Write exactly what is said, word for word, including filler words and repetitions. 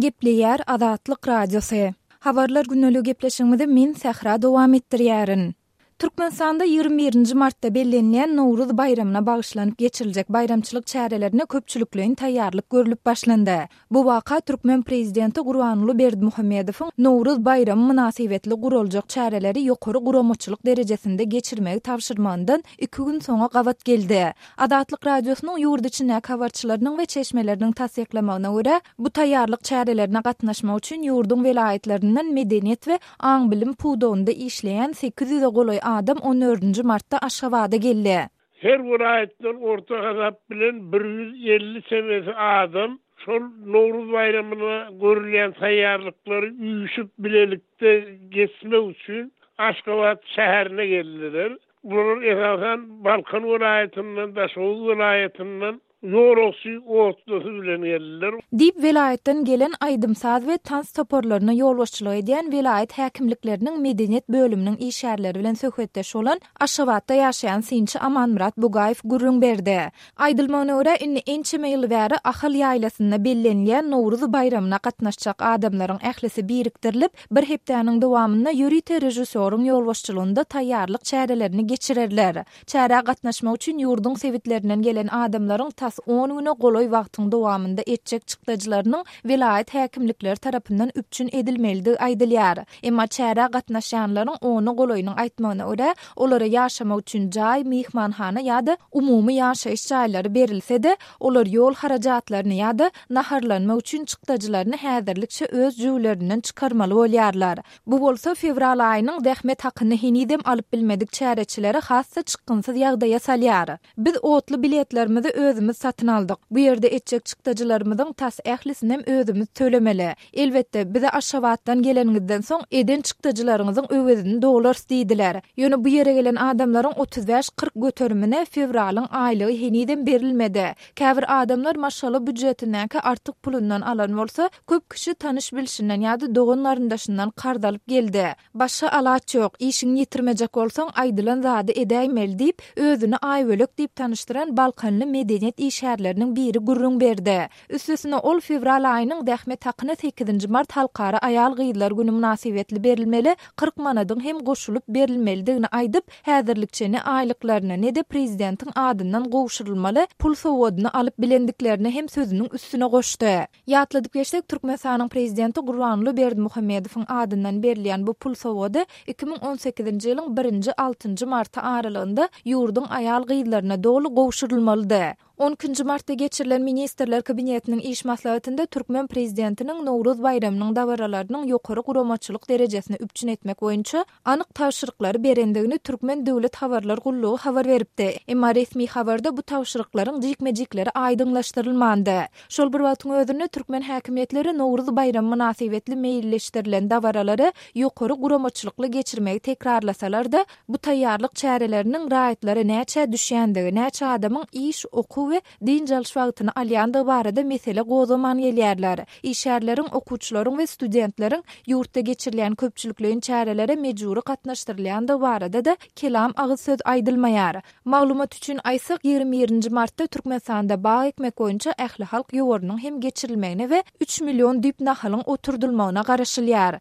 Gepleýär Azatlyk Radiosy. Habarlar gündelik gepleşigimizi men Sähra dowam etdirýärin. Türkmenistanda ýigrimi birinji martda bellenilýän Nowruz baýramyna bagyşlanyp geçiriljek baýramçylyk çärelerine köpçülikleýin taýýarlyk görlüp başlandy. Bu waka türkmen prezidenti Gurbanguly Berdimuhamedowyň Nowruz baýramy mynasybetli guraljak çäreleri ýokary guramaçylyk derejesinde geçirmegi tabşyrmagyndan iki gün soňa gabat geldi. Azatlyk Radiosynyň ýurt içindäki habarçylarynyň we çeşmeleriniň tassyklamagyna görä, bu taýýarlyk çärelerine gatnaşmak üçin ýurduň welaýatlaryndan medeniýet we aň-bilim pudagynda işleýän sekiz ýüze golaý adam on dördünji martda Aşgabada geldi. Her welaýatdan orta hasap bilen bir ýüz elli çemesi adam şol Nowruz baýramyna görülýän taýýarlyklary üýşüp bilelikde geçmek üçin Aşgabat şäherine geldiler. Bular esasan Balkan welaýatyndan, Daşoguz welaýatyndan ýolagçy otlusy bilen geldiler. Diýip, welaýatdan gelen aýdym-saz we tans toparlaryna ýolbaşçylyk edýän welaýat häkimlikleriniň medeniýet bölüminiň işgärleri bilen söhbetdeş bolan Aşgabatda ýaşaýan synçy Amanmyrat Bugaýew gürrüň berdi. Aýdylmagyna görä, indi ençeme ýyl bäri Ahal ýaýlasynda bellenilýän Nowruz baýramyna gatnaşjak adamlaryň ählisi birikdirilip, bir hepdäniň dowamynda ýörite režissýoryň ýolbaşçylygynda taýýarlyk çärelerini geçirerler. Çärä gatnaşmak üçin ýurduň sebitlerinden gelen adamlaryň tas on güne golaý wagtyň dowamynda etjek çykdajylarynyň welaýat häkimlikleri tarapyndan üpjün edilmelidigi aýdylýar. Emma çärä gatnaşýanlaryň ona golaýynyň aýtmagyna görä, olara ýaşamak üçin jaý, myhmanhana ýa-da umumy ýaşaýyş jaýlary berilse-de, olar ýol harajatlaryny ýa-da naharlanmak üçin çykdajylaryny häzirlikçe öz jübülerinden çykarmaly bolýarlar. Bu bolsa fewral aýynyň zähmet hakyny henizem alyp bilmedik çäreçileri has-da çykgynsyz ýagdaýa salýar. Biz otly biletlerimizi özümiz satyn aldyk. Bu ýerde etjek çykdajylarymyzyň tas ählisinem özümiz tölemeli. Elbetde, bize Aşgabatdan geleniňizden soň eden çykdajylaryňyzyň öwezini dolarys diýdiler. Ýöne bu ýere gelen adamlaryň otuz bäş-kyrk göterimine fewralyň aýlygy henizem berilmedi. Käbir adamlar maşgala býujetindäki artyk pulundan alan bolsa, köp kişi tanyş bilşinden ýa-da dogan garyndaşyndan karz alyp geldi. Başga alaç ýok, işiňi ýitirmejek bolsaň, aýdylan zady edäýmeli diýip, özüni Aýbölek diýip tanyşdyran Balkanly medeniýet işgärleriniň biri gürrüň berdi. Üstesine ol fewral aýynyň zähmet hakyny sekizinji mart Halkara aýal-gyzlar güni mynasybetli berilmeli kyrk manadyň hem goşulyp berilmelidigini aýdyp, häzirlikçe ne aýlyklaryny, ne-de prezidentiň adyndan gowşurylmaly pul sowgadyny alyp bilendiklerini hem sözüniň üstüne goşdy. Ýatladyp geçsek, Türkmenistanyň prezidenti Gurbanguly Berdimuhamedowyň adyndan berilýän bu pul sowgady iki müň on sekizinji ýylyň birinji altynjy marty aralygynda ýurduň aýal-gyzlaryna doly gowşurylmalydy. On ikinji martda geçirilen Ministrler Kabinetiniň iş maslahatynda türkmen prezidentiniň Nowruz baýramynyň dabaralarynyň ýokary guramaçylyk derejesini üpjün etmek boýunça anyk tabşyryklary berendigini Türkmen döwlet habarlar gullugy habar beripdi. Emma resmi habarda bu tabşyryklaryň jikme-jikleri aýdyňlaşdyrylmandy. Şol bir wagtyň özünde türkmen häkimiýetleri Nowruz baýramy mynasybetli meýilleşdirilen dabaralary ýokary guramaçylykly geçirmegi tekrarlasalar-da, bu taýýarlyk çäreleriniň raýatlara näçä düşýändigi, näçe adamyň iş, okuw we dynç alyş wagtyny alýandygy barada mesele gozgaman gelýärler. Işgärleriň, okuwçylaryň we studentleriň ýurtda geçirilýän köpçülikleýin çärelere mejbury gatnaşdyrylýandygy barada-da kelam agyz söz aýdylmaýar. Maglumat üçin aýtsak, ýigrimi birinji martda Türkmenistanda bag ekmek boýunça ählihalk ýowarynyň hem geçirilmegine we üç million düýp nahalyň oturdylmagyna garaşylýar.